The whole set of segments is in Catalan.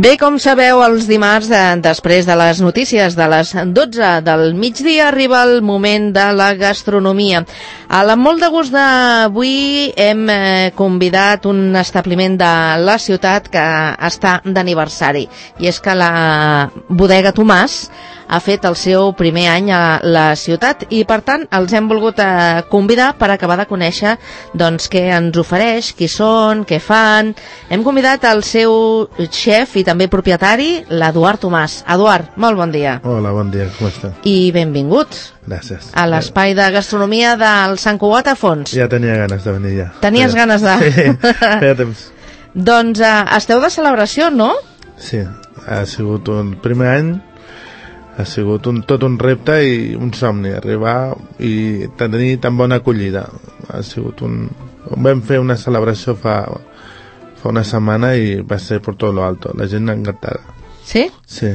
Bé, com sabeu, els dimarts, després de les notícies de les 12 del migdia, arriba el moment de la gastronomia. Amb molt de gust d'avui hem convidat un establiment de la ciutat que està d'aniversari. I és que la bodega Tomàs ha fet el seu primer any a la ciutat i, per tant, els hem volgut convidar per acabar de conèixer doncs, què ens ofereix, qui són, què fan. Hem convidat el seu xef i també propietari, l'Eduard Tomàs. Eduard, molt bon dia. Hola, bon dia, com estàs? I benvingut. Gràcies. A l'espai de gastronomia del Sant Cugat a Fons. Ja tenia ganes de venir, ja. Tenies ganes de... Sí, feia temps. Doncs esteu de celebració, no? Sí, ha sigut un primer any, ha sigut tot un repte i un somni, arribar i tenir tan bona acollida. Ha sigut Vam fer una celebració fa una setmana i va ser per tot lo alto, la gent encantada. Sí? Sí.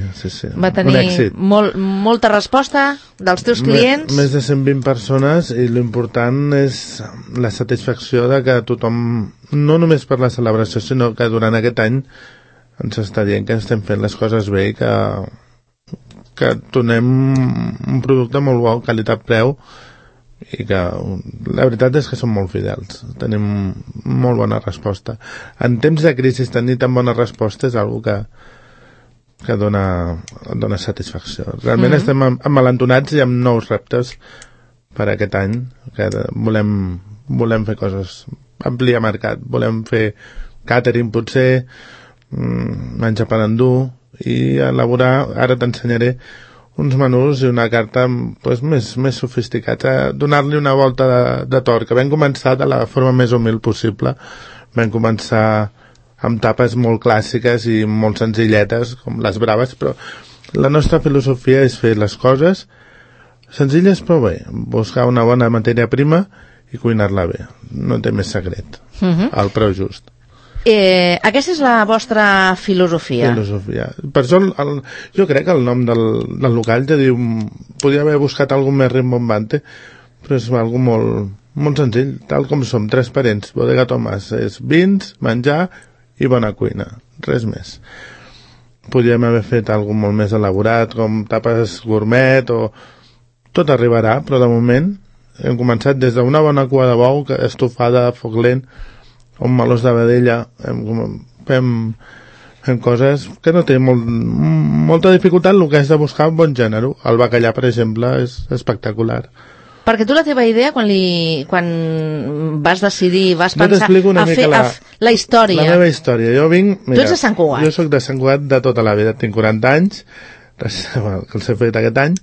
Va tenir molta resposta dels teus clients? Més de 120 persones i l'important és la satisfacció de que tothom, no només per la celebració, sinó que durant aquest any ens està dient que estem fent les coses bé i que donem un producte molt bo, qualitat-preu, i que la veritat és que som molt fidels, tenim molt bona resposta. En temps de crisi tenir tan bona resposta és algo que dona satisfacció. Realment estem emmalentonats i amb nous reptes per aquest any, que volem fer coses, ampliar mercat, volem fer catering potser, menjar per endur i elaborar, ara t'ensenyaré uns menús i una carta doncs, més sofisticats, donar-li una volta de torn, que vam començar de la forma més humil possible. Vam començar amb tapes molt clàssiques i molt senzilletes, com les braves, però la nostra filosofia és fer les coses senzilles però bé, buscar una bona matèria prima i cuinar-la bé. No té més secret, al preu just. Aquesta és la vostra filosofia. Per això jo crec que el nom del local ja diu, podria haver buscat algú més rimbombante, però és algo molt senzill, tal com som, tres parents. Bodega Tomàs és vins, menjar i bona cuina, res més. Podríem haver fet algo molt més elaborat, com tapes gourmet o... Tot arribarà, però de moment hem començat des d'una bona cua de bou estofada a foc lent, un melós de vedella, fem coses que no té molta dificultat, el que és de buscar un bon gènere. El bacallà, per exemple, és espectacular. Perquè tu la teva idea, quan vas decidir, vas pensar a fer la història... La meva història. Jo vinc... Tu ets de Sant Cugat. Jo soc de Sant Cugat de tota la vida. Tinc 40 anys, que els he fet aquest any,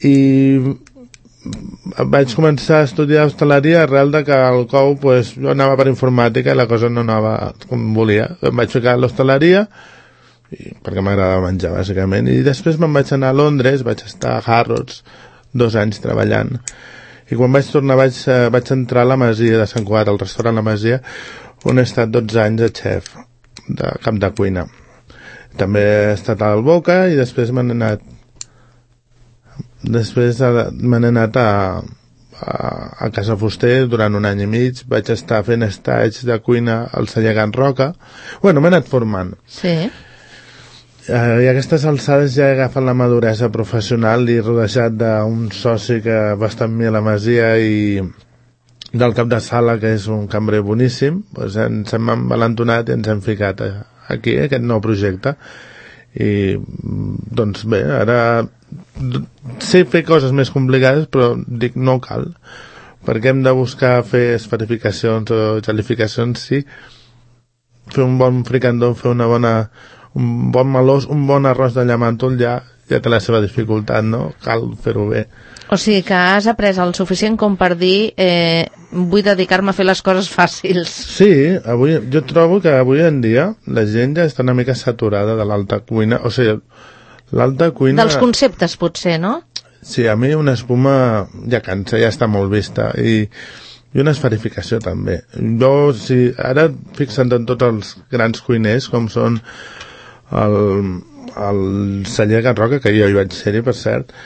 i vaig començar a estudiar hostaleria arrel de que al COU jo anava per informàtica i la cosa no anava com volia. Em vaig ficar a l'hostaleria perquè m'agradava menjar bàsicament, i després me'n vaig anar a Londres, vaig estar a Harrods 2 anys treballant, i quan vaig tornar vaig entrar a la Masia de Sant Cugat, al restaurant La Masia, on he estat 12 anys de xef de cap de cuina. També he estat al Boca i després m'han anat a Casa Fuster durant 1 any i mig. Vaig estar fent estats de cuina al celler Can Roca. Bueno, m'he anat formant. Sí. I a aquestes alçades ja he agafat la maduresa professional i rodejat d'un soci que va estar amb mi a la Masia i del cap de sala, que és un cambrer boníssim. Ens hem envalentonat i ens hem ficat aquí, aquest nou projecte. I doncs bé, ara sé fer coses més complicades, però dic no cal, perquè hem de buscar fer esferificacions o gelificacions, sí, fer un bon fricandó, fer un bon melós, un bon arròs de llamàntol ja té la seva dificultat, no? Cal fer-ho bé. O sigui que has après el suficient com per dir vull dedicar-me a fer les coses fàcils. Sí, jo trobo que avui en dia la gent ja està una mica saturada de l'alta cuina, o sigui, l'alta cuina... Dels conceptes, potser, no? Sí, a mi una espuma ja cansa, ja està molt vista, i una esferificació també. Jo, ara fixa't en tots els grans cuiners, com són el celler Can Roca, que jo hi vaig ser-hi, per cert,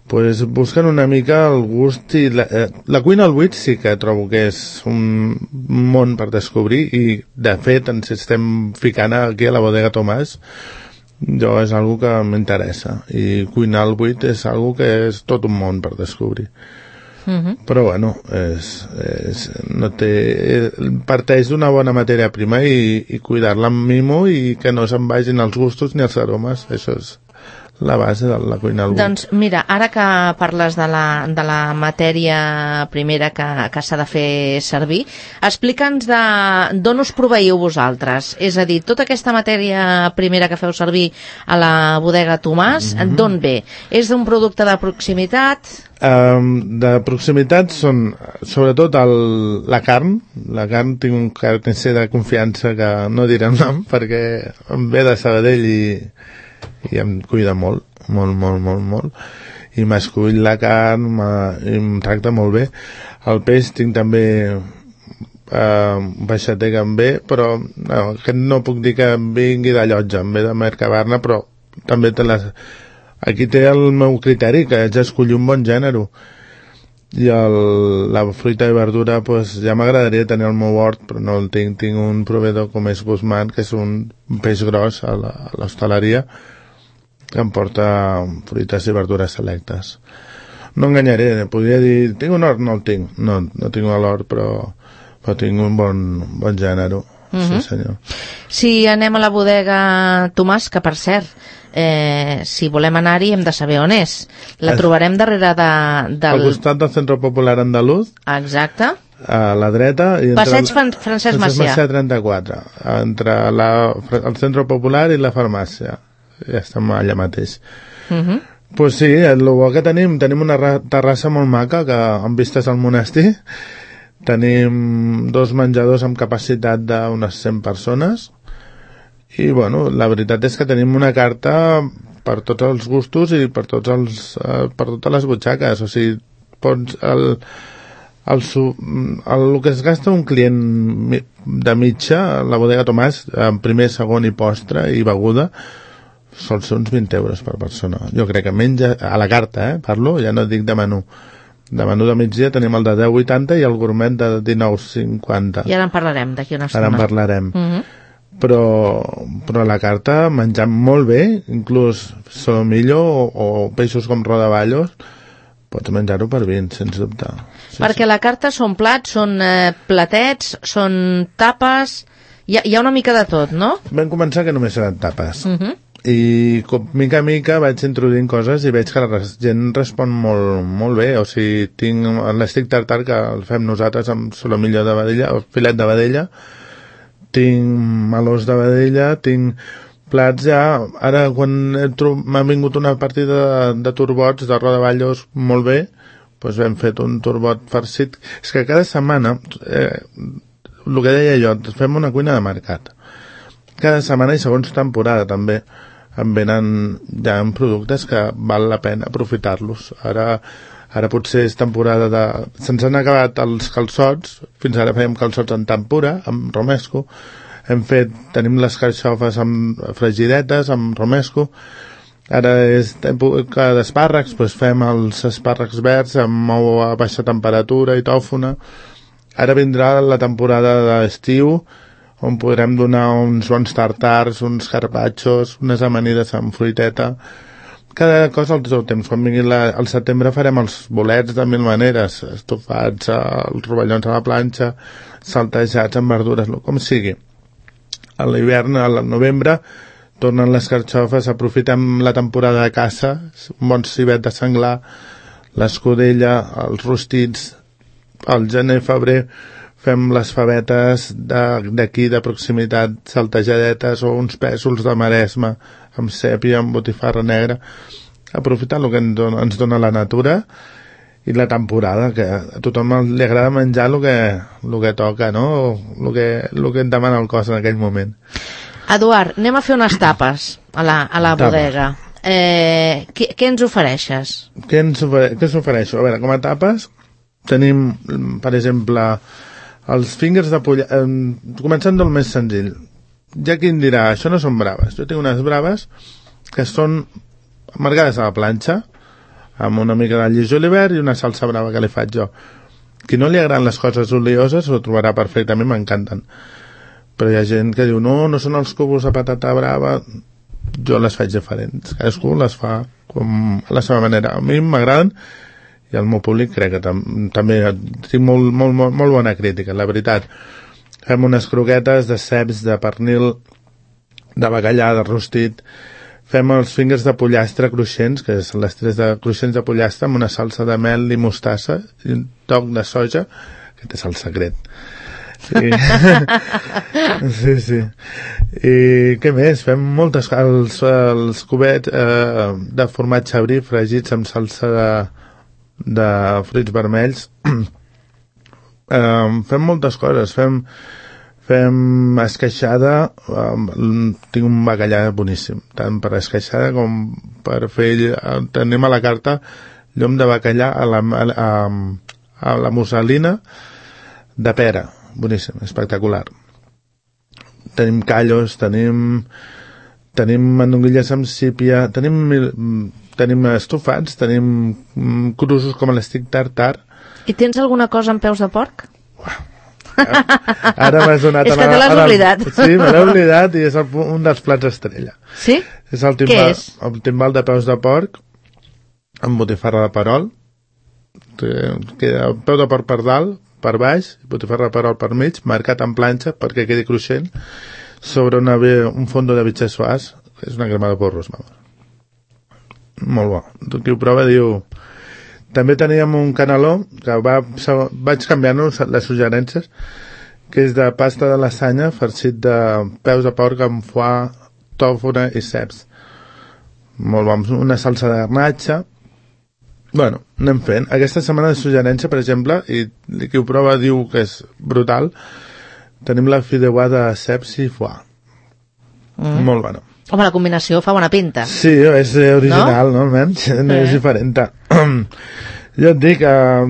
Pues busquen una mica el gust i la cuina al buit sí que trobo que és un món per descobrir i de fet ens estem ficant aquí a la bodega Tomàs. Jo és algo que m'interessa i cuinar al buit és algo que és tot un món per descobrir. Però bueno, no parteix d'una bona matèria prima i cuidar-la amb mimo i que no se'n vagin els gustos ni els aromes. Això és la base de la cuina al buit. Doncs mira, ara que parles de la matèria primera que s'ha de fer servir, explica'ns d'on us proveieu vosaltres. És a dir, tota aquesta matèria primera que feu servir a la bodega Tomàs, d'on ve? És d'un producte de proximitat? De proximitat són sobretot la carn. La carn tinc un carnisser de confiança que no diré el nom perquè em ve de Sabadell i em cuida molt, i m'escull la carn i em tracta molt bé. El peix tinc també baixater que em ve, però aquest no puc dir que em vingui de Llotja, em ve de Mercabarna, però també aquí té el meu criteri, que és escollir un bon gènere. I la fruita i verdura, pues, ja m'agradaria tenir el meu hort, però no el tinc. Tinc un proveïdor com és Guzmán, que és un peix gros a l'hostaleria, que em porta fruites i verdures selectes. No enganyaré, podria dir, tinc un hort? No el tinc. No tinc l'hort, però tinc un bon gènere. Sí, senyor. Si anem a la bodega Tomàs, que per cert, si volem anar-hi hem de saber on és. La trobarem darrere al costat del Centre Popular Andaluz. Exacte. A la dreta. Passeig Francesc Macià. 34, entre el Centre Popular i la farmàcia. Ja estem allà mateix. Pues sí, el bo que tenim una terrassa molt maca que amb vistes al monestir. Tenim 2 menjadors amb capacitat d'unes 100 persones i bueno, la veritat és que tenim una carta per tots els gustos i per totes les butxaques. O sigui, pots el que es gasta un client de mitja a la bodega Tomàs, en primer, segon i postre i beguda, sol ser uns 20 euros per persona. Jo crec que menja a la carta, parlo, ja no dic de menú. De menú de migdia tenim el de 10,80 i el gourmet de 19,50. I ara en parlarem d'aquí una estona. Ara en parlarem. Però a la carta menjam molt bé, inclús solomillo o peixos com rodaballos, pots menjar-ho per 20, sens dubte. Sí, perquè la carta són plats, són platets, són tapes, hi ha una mica de tot, no? Vam començar que només eren tapes. I mica a mica vaig introduint coses i veig que la gent respon molt bé. O sigui, tinc l'estic tartar que el fem nosaltres amb solomillo de vedella o filet de vedella, tinc melós de vedella, tinc plats ja. Ara quan m'ha vingut una partida de turbots de rodaballos molt bé, doncs hem fet un turbot farcit. És que cada setmana el que deia jo, fem una cuina de mercat cada setmana i segons temporada també em venen ja en productes que val la pena aprofitar-los. Ara potser és temporada se'ns han acabat els calçots. Fins ara fèiem calçots en tempura, amb romesco. Tenim les carxofes amb fregidetes, amb romesco. Ara és època d'espàrrecs, doncs fem els espàrrecs verds amb ou a baixa temperatura i tòfona. Ara vindrà la temporada d'estiu, on podrem donar uns bons tartars, uns carpaccios, unes amanides amb fruiteta. Cada cosa al seu temps. Quan vingui al setembre farem els bolets de 1000 maneres, estofats, els rovellons a la planxa, saltejats amb verdures, com sigui. A l'hivern, al novembre, tornen les carxofes, aprofitem la temporada de caça, un bon civet de senglar, l'escudella, els rostits. Al gener-febrer fem les favetes d'aquí de proximitat, saltejadetes o uns pèsols de Maresme amb sèpia, amb botifarra negra, aprofitant el que ens dona la natura i la temporada, que a tothom li agrada menjar el que toca, no? El que et demana el cos en aquell moment. Eduard, anem a fer unes tapes a la bodega. Què ens ofereixes? Què us ofereixo? A veure, com a tapes tenim, per exemple, els fingers de polla, començant del més senzill. Ja qui em dirà, això no són braves. Jo tinc unes braves que són amargades a la planxa, amb una mica d'all i julivert i una salsa brava que li faig jo. Qui no li agraden les coses olioses ho trobarà perfectament, m'encanten. Però hi ha gent que diu, no són els cubos de patata brava. Jo les faig diferents. Cadascú les fa com a la seva manera. A mi m'agraden i al meu públic crec que també tinc molt bona crítica, la veritat. Fem unes croquetes de ceps, de pernil, de bacallà, de rostit. Fem els fingers de pollastre cruixents, que són les tres de cruixents de pollastre, amb una salsa de mel i mostassa i un toc de soja. Aquest és el secret. Sí. I què més? Fem moltes els cubets de formatge brie fregits amb salsa de fruits vermells. Fem moltes coses. Fem esqueixada, tinc un bacallà boníssim, tant per esqueixada com per fer, tenim a la carta llom de bacallà a la musselina de pera, boníssim, espectacular. Tenim callos, tenim mandonguilles amb sípia, tenim estofats, tenim cruços com l'estic tartar. I tens alguna cosa amb peus de porc? Ara m'has donat... És que te l'has oblidat. Sí, me l'he oblidat i és un dels plats estrella. Sí? És el timbal de peus de porc amb botifarra de perol. Queda peu de porc per dalt, per baix, botifarra de perol per mig, marcat en planxa perquè quedi cruixent, sobre un fondo de bitxes suars. És una crema de porros, vamos. Molt bo. Qui ho prova diu... També teníem un caneló que vaig canviant les suggerències, que és de pasta de lasanya farcit de peus de porc amb foie, tòfona i ceps. Molt bo, una salsa de garnatxa. Bueno, anem fent. Aquesta setmana de suggerència, per exemple, i qui ho prova diu que és brutal, tenim la fideuà de ceps i foie. Molt bona. Home, la combinació fa bona pinta. Sí, és original, no? Almenys, no és diferent. Jo et dic,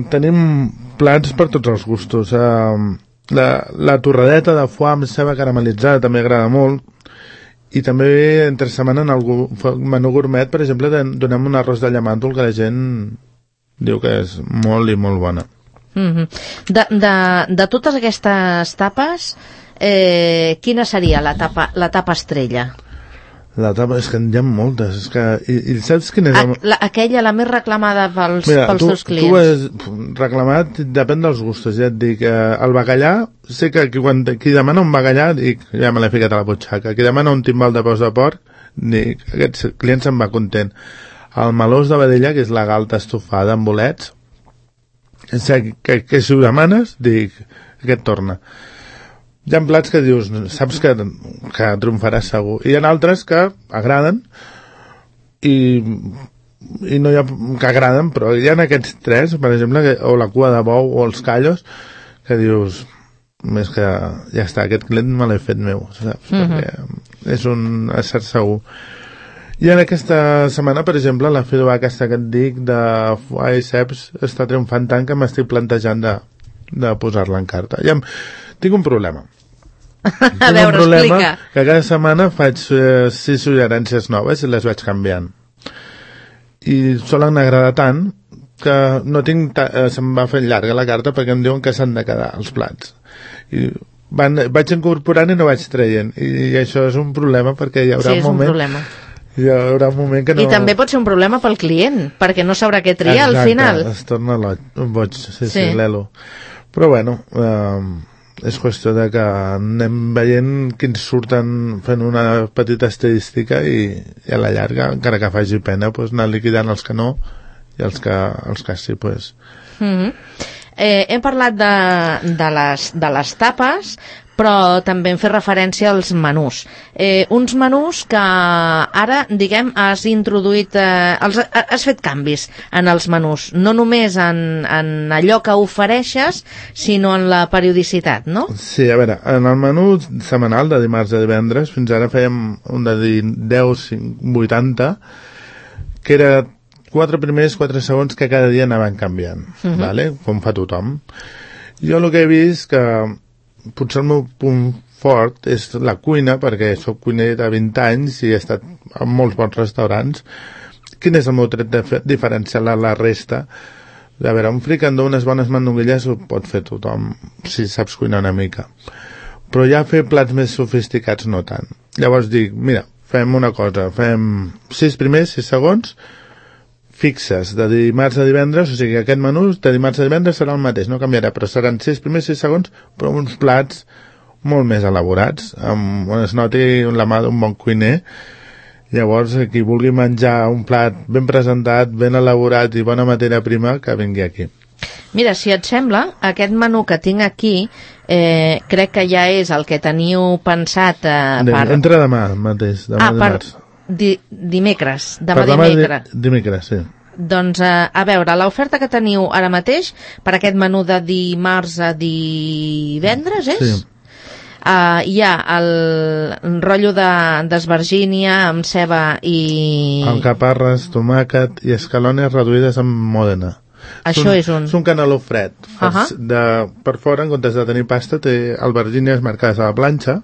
tenim plats per tots els gustos. La torradeta de foie amb ceba caramelitzada també agrada molt. I també, entre setmana, en el menú gourmet, per exemple, donem un arròs de llamàntol que la gent diu que és molt i molt bona. De totes aquestes tapes, quina seria la tapa estrella? La tapa, és que en hi ha moltes. És que, i saps quina és? Aquella, la més reclamada pels teus clients. Tu has reclamat, depèn dels gustos, ja et dic. El bacallà, sé que qui demana un bacallà, dic, ja me l'he ficat a la butxaca. Qui demana un timbal de peus de porc, dic, aquest client se'n va content. El melós de vedella, que és la galta estofada amb bolets, que si ho demanes, dic, aquest torna. Hi ha plats que dius, saps que triomfaràs segur. I hi ha altres que agraden i no hi ha que agraden, però hi ha aquests tres, per exemple, o la cua de bou o els callos, que dius, més que ja està, aquest client me l'he fet meu, saps? Perquè és un cert segur. I en aquesta setmana, per exemple, la fideuà aquesta que et dic de foie i ceps està triomfant tant que m'estic plantejant de posar-la en carta. Tinc un problema. A veure, explica. Que cada setmana faig 6 suggerències noves i les vaig canviant. I solen agradar tant que no tinc... se'm va fent llarga la carta perquè em diuen que s'han de quedar els plats. I vaig incorporant i no vaig traient. I això és un problema perquè hi haurà un moment... Sí, és un problema. Hi haurà un moment que no... I també pot ser un problema pel client, perquè no sabrà què triar al final. Exacte, es torna boig, sí, l'elo. Però bueno, és qüestió de que anem veient quins surten fent una petita estadística i a la llarga, encara que faci pena, pues, anar liquidant els que no i els que sí, pues... Hem parlat de les tapes, però també hem fet referència als menús. Uns menús que ara, diguem, has introduït, has fet canvis en els menús, no només en allò que ofereixes, sinó en la periodicitat, no? Sí, a veure, en el menú setmanal de dimarts a divendres, fins ara fèiem un de 10, 80, que era 4 primers, 4 segons que cada dia anaven canviant, vale? Com fa tothom. Jo el que he vist que potser el meu punt fort és la cuina, perquè soc cuiner de 20 anys i he estat en molts bons restaurants, quin és el meu tret diferencial a la resta? A veure, un fricandó, unes bones mandonguilles ho pot fer tothom, si saps cuinar una mica. Però ja fer plats més sofisticats no tant. Llavors dic, mira, fem una cosa, fem 6 primers, 6 segons, fixes de dimarts a divendres, o sigui, aquest menú de dimarts a divendres serà el mateix, no canviarà, però seran 6 primers, 6 segons, però uns plats molt més elaborats, on es noti la mà d'un bon cuiner. Llavors, qui vulgui menjar un plat ben presentat, ben elaborat i bona matèria prima, que vingui aquí. Mira, si et sembla, aquest menú que tinc aquí, crec que ja és el que teniu pensat per... Entra demà mateix, demà dimarts. Dimecres, dimecres. Sí. Doncs, a veure, l'oferta que teniu ara mateix per aquest menú de dimarts a divendres, és? Sí. Hi ha el rotllo d'esvergínia amb ceba i... Alcaparres, tomàquet i escalones reduïdes amb mòdena. Això és un... És un caneló fred. Per fora, en comptes de tenir pasta, té albergínies marcades a la planxa,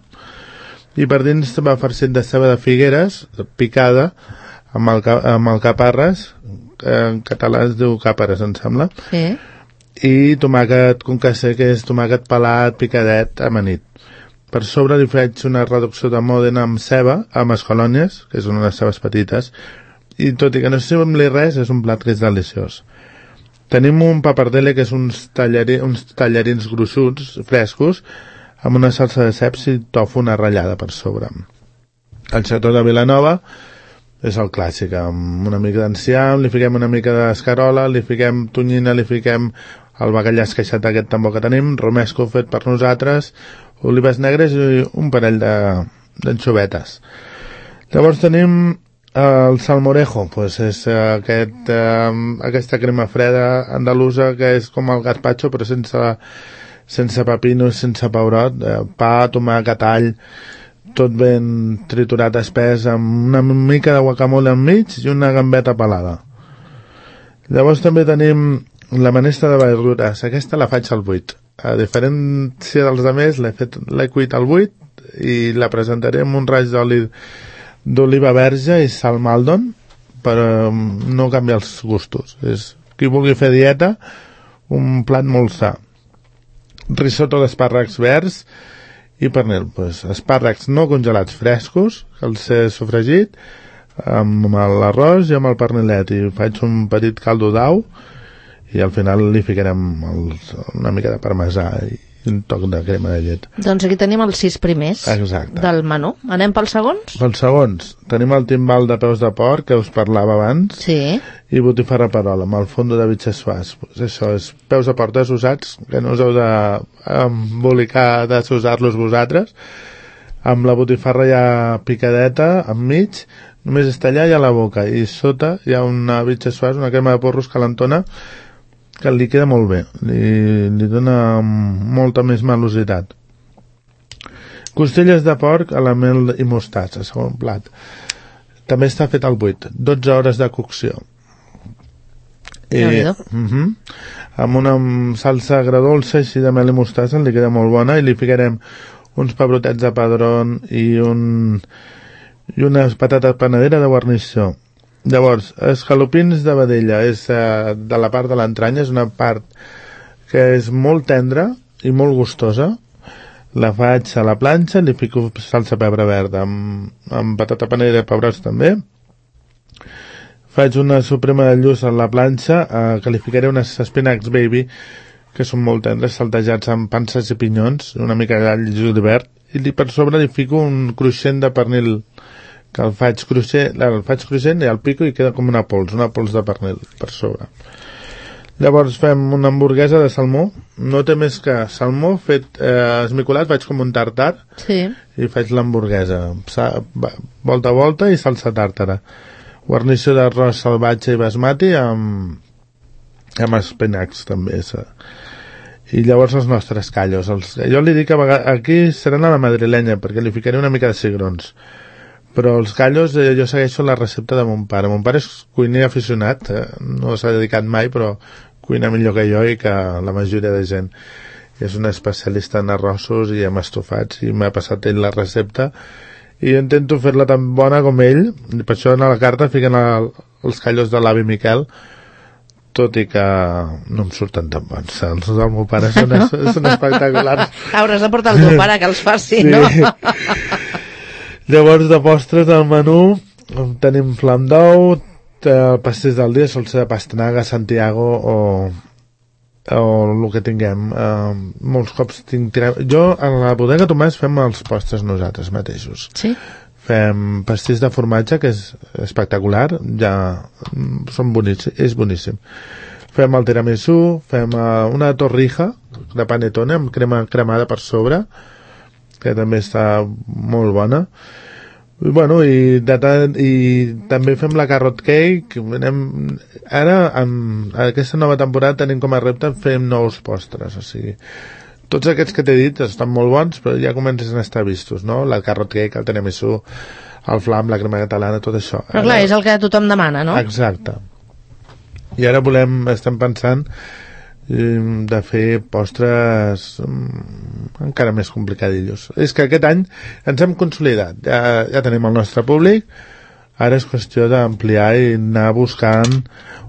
i per dins va farcit de ceba de figueres picada amb alcaparres, en català es diu càperes, em sembla, sí. I tomàquet concassé, que és tomàquet pelat, picadet, amanit. Per sobre li faig una reducció de mòdena amb ceba, amb escolònies, que són unes cebes petites, i tot i que no sembli res, és un plat que és deliciós. Tenim un papardelle, que és uns tallarins gruixuts, frescos, amb una salsa de ceps i tòfona ratllada per sobre. El xató de Vilanova és el clàssic, amb una mica d'enciam, li fiquem una mica d'escarola, li fiquem tonyina, li fiquem el bacallà esqueixat aquest també que tenim, romesco fet per nosaltres, olives negres i un parell d'anxovetes. Llavors tenim el salmorejo, doncs és aquesta crema freda andalusa que és com el gazpacho però sense pepino, sense pebrot, pa, tomàquet, all, tot ben triturat espès, amb una mica de guacamole enmig i una gambeta pelada. Llavors també tenim la menestra de verdures. Aquesta la faig al buit. A diferència dels altres, l'he cuit al buit i la presentaré amb un raig d'oliva verge i sal Maldon per no canviar els gustos. Qui vulgui fer dieta, un plat molt sa. Risotto d'espàrrecs verds i pernil. Espàrrecs no congelats frescos, que els he sofregit amb l'arròs i amb el pernilet, i faig un petit caldo d'au i al final li ficarem una mica de parmesà i un toc de crema de llet. Doncs aquí tenim els 6 primers. Exacte. Del menú. Anem pels segons? Pels segons. Tenim el timbal de peus de porc, que us parlava abans, sí. I botifarra perola, amb el fondo de bitxes suars. Això és peus de porc desusats, que no us heu d'embolicar de desusar-los vosaltres. Amb la botifarra ja picadeta, enmig, només és tallar i a la boca. I sota hi ha una bitxes suars, una crema de porros calentona, que li queda molt bé, li dona molta més malositat. Costelles de porc a la mel i mostatza, segon plat. També està fet al buit, 12 hores de cocció. Amb una salsa agredolça així de mel i mostatza, li queda molt bona, i li ficarem uns pebrotets de padrón i unes patates panadera de guarnició. Llavors, escalopins de vedella és de la part de l'entranya, és una part que és molt tendra i molt gustosa. La faig a la planxa, li fico salsa pebre verda amb patata panadera i pebrots també. Faig una suprema de lluç a la planxa, que li ficaré unes espinacs baby, que són molt tendres, saltejats amb panses i pinyons, una mica d'all i julivert, i per sobre li fico un cruixent de pernil, que el faig cruixent i el pico i queda com una pols de pernil per sobre. Llavors fem una hamburguesa de salmó, no té més que salmó fet esmicolat, faig com un tartar, sí. I faig l'hamburguesa, volta a volta i salsa tàrtara. Guarnició d'arròs salvatge i basmati amb espinacs també. I llavors els nostres callos. Jo li dic que aquí seran a la madrilenya, perquè li ficaré una mica de cigrons. Però els callos, jo segueixo la recepta de mon pare. Mon pare és cuiner aficionat, no s'ha dedicat mai, però cuina millor que jo i que la majoria de gent. És un especialista en arrossos i en estofats, i m'ha passat ell la recepta, i jo intento fer-la tan bona com ell, i per això a la carta fiquen els callos de l'avi Miquel, tot i que no em surten tan bons. Els del meu pare són espectaculars. Hauràs de portar el teu pare que els faci, no? Llavors, de postres del menú tenim flam d'ou, pastís del dia, sol ser de pastanaga, Santiago o el que tinguem. Molts cops jo a la bodega Tomàs fem els postres nosaltres mateixos. Sí? Fem pastís de formatge, que és espectacular, ja són boníssims, és boníssim. Fem el tiramisú, fem una torrija de panetone amb crema cremada per sobre, que també està molt bona. I també fem la carrot cake. Ara, amb aquesta nova temporada, tenim com a repte fem nous postres, o sigui, tots aquests que t'he dit estan molt bons, però ja comencen a estar vistos, no? La carrot cake, el tiramisú, el flam, la crema catalana, tot això. Però clar, és el que tothom demana, no? Exacte. I ara estem pensant de fer postres encara més complicadillos. És que aquest any ens hem consolidat. Ja tenim el nostre públic, ara és qüestió d'ampliar i anar buscant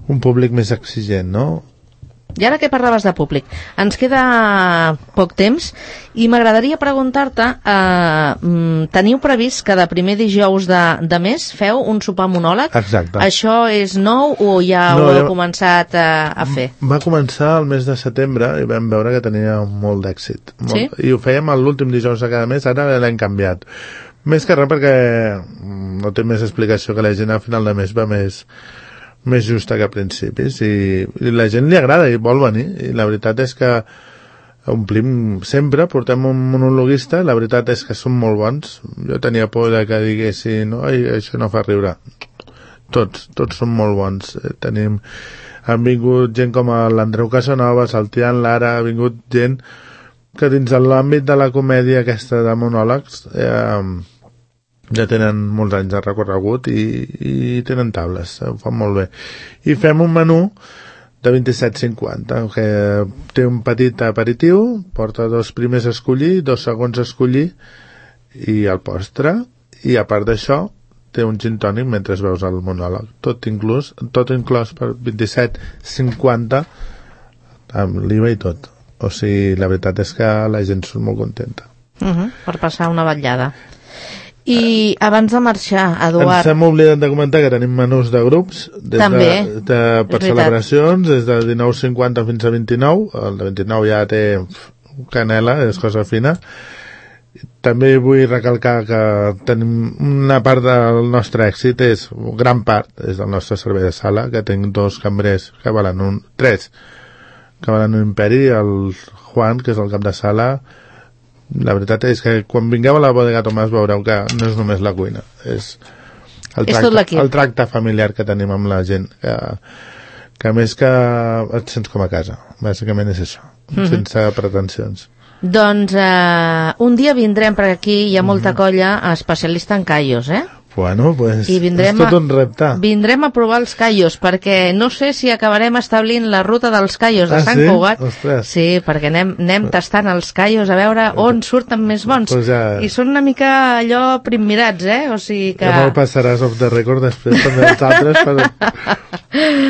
un públic més exigent, no? I ara que parlaves de públic, ens queda poc temps i m'agradaria preguntar-te, teniu previst que de primer dijous de mes feu un sopar monòleg? Exacte. Això és nou o ja ho heu començat a fer? Va començar el mes de setembre i vam veure que tenia molt d'èxit. Sí? I ho fèiem l'últim dijous de cada mes, ara l'hem canviat. Més que res perquè no té més explicació, que la gent al final de mes va més justa que a principis i la gent li agrada i vol venir, i la veritat és que omplim sempre, portem un monologuista, la veritat és que són molt bons. Jo tenia por de que diguessin això no fa riure. Tots són molt bons. Han vingut gent com l'Andreu Casanovas, el Tian Lara, ha vingut gent que dins de l'àmbit de la comèdia aquesta de monòlegs ja tenen molts anys de recorregut i tenen tables, ho fan molt bé. I fem un menú de 27,50, que té un petit aperitiu, porta 2 primers a escollir, 2 segons a escollir i el postre, i a part d'això té un gin tònic mentre veus el monòleg. Tot inclòs per 27,50 amb l'IVA i tot. O sigui, la veritat és que la gent surt molt contenta. Per passar una vetllada. I abans de marxar, Eduard... Ens hem oblidat de comentar que tenim menús de grups per celebracions, des de 19,50 fins a 29. El de 29 ja té canela, és cosa fina. També vull recalcar que tenim una part del nostre èxit, gran part, és del nostre servei de sala, que tinc 2 cambrers que valen 3 que valen un imperi, el Juan, que és el cap de sala. La veritat és que quan vingueu a la bodega Tomàs veureu que no és només la cuina, és el tracte familiar que tenim amb la gent, que més que et sents com a casa, bàsicament és això, sense pretensions. Doncs un dia vindrem, perquè aquí hi ha molta colla especialista en callos, Bueno, pues és tot un repte. Vindrem a provar els callos, perquè no sé si acabarem establint la ruta dels callos de Sant Cugat. Ostres. Sí, perquè anem tastant els callos a veure on surten més bons. Pues I són una mica allò primmirats, O sigui que... Ja me'l passaràs off the record després també els altres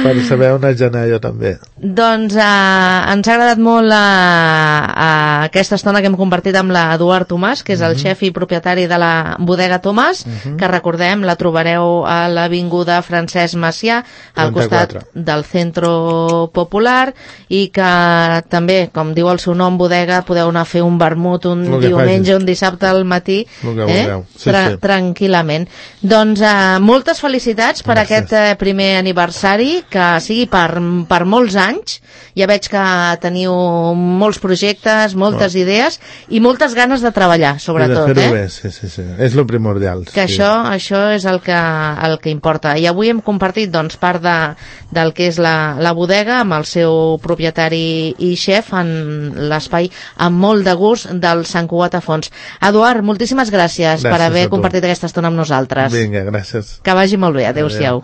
per saber on haig d'anar jo també. Doncs ens ha agradat molt aquesta estona que hem compartit amb l'Eduard Tomàs, que és el xef i propietari de la bodega Tomàs, que recordem, la trobareu a l'avinguda Francesc Macià, al costat del Centro Popular, i que també, com diu el seu nom, bodega, podeu anar a fer un vermut un diumenge, un dissabte al matí, tranquil·lament. Doncs moltes felicitats per aquest primer aniversari, que sigui per molts anys. Ja veig que teniu molts projectes, moltes idees i moltes ganes de treballar, sobretot. De fer-ho bé, sí. És lo primordial. Que això és el que importa. I avui hem compartit part del que és la bodega amb el seu propietari i xef en l'espai amb molt de gust del Sant Cugat a Fons. Eduard, moltíssimes gràcies per haver compartit aquesta estona amb nosaltres. Vinga, gràcies. Que vagi molt bé. Adéu-siau.